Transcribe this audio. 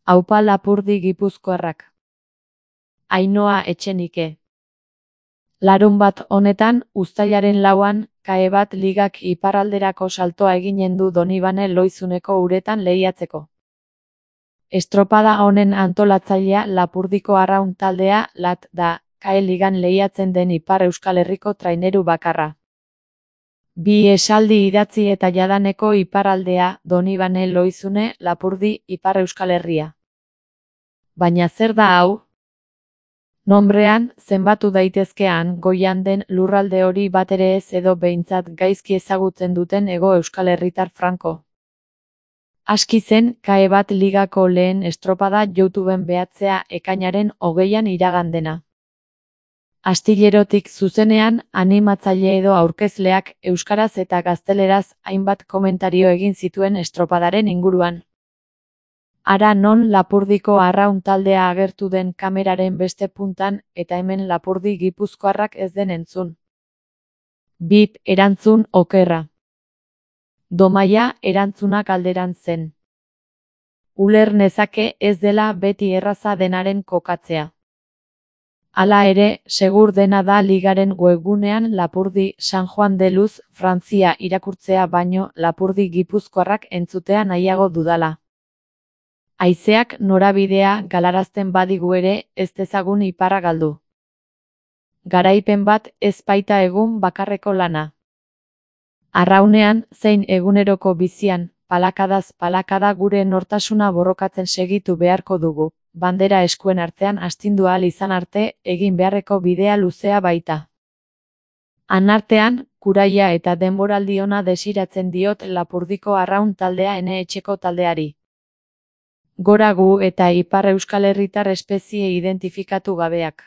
Aupa Lapurdi gipuzkoarrak. Ainhoa Etxenike. Larunbat honetan, uztailaren 4an, KAE Bat Ligak iparralderako saltoa eginen du Donibane Lohizuneko uretan lehiatzeko. Estropada honen antolatzailea Lapurdiko Arraun taldea LAT da, KAE Ligan lehiatzen den Ipar Euskal Herriko traineru bakarra. Bi esaldi idatzi eta jadaneko iparraldea, Donibane Lohizune, Lapurdi, Ipar Euskal Herria. Baina zer da hau? Nombrean, zenbatu daitezkean goian den lurralde hori batere ez edo behintzat gaizki ezagutzen duten Hego Euskal Herritar franko. Aski zen, KAE Bat Ligako lehen estropada YouTubeen behatzea ekainaren 20an iragandena. Astillerotik zuzenean, animatzaile edo aurkezleak euskaraz eta gazteleraz hainbat komentario egin zituen estropadaren inguruan. Hara non Lapurdiko Arraun taldea agertu den kameraren beste puntan eta hemen Lapurdi gipuzkoarrak ez den entzun. Bip erantzun okerra. Domaia erantzunak alderantz zen. Uler nezake ez dela beti erraza denaren kokatzea. Hala ere, segur dena da ligaren webgunean Lapurdi San Juan de Luz Frantzia irakurtzea baino Lapurdi gipuzkoarrak entzutea nahiago dudala. Haizeak norabidea galarazten badigu ere ez dezagun iparra galdu. Garaipen bat ez baita egun bakarreko lana. Arraunean, zein eguneroko bizian, palakadaz palakada gure nortasuna borrokatzen segitu beharko dugu, bandera eskuen artean astindu ahal izan arte egin beharreko bidea luzea baita. Han artean, kuraia eta denboraldi ona desiratzen diot Lapurdiko Arraun taldea ene etxeko taldeari. Gora gu eta Ipar Euskal Herritar espezie identifikatu gabeak.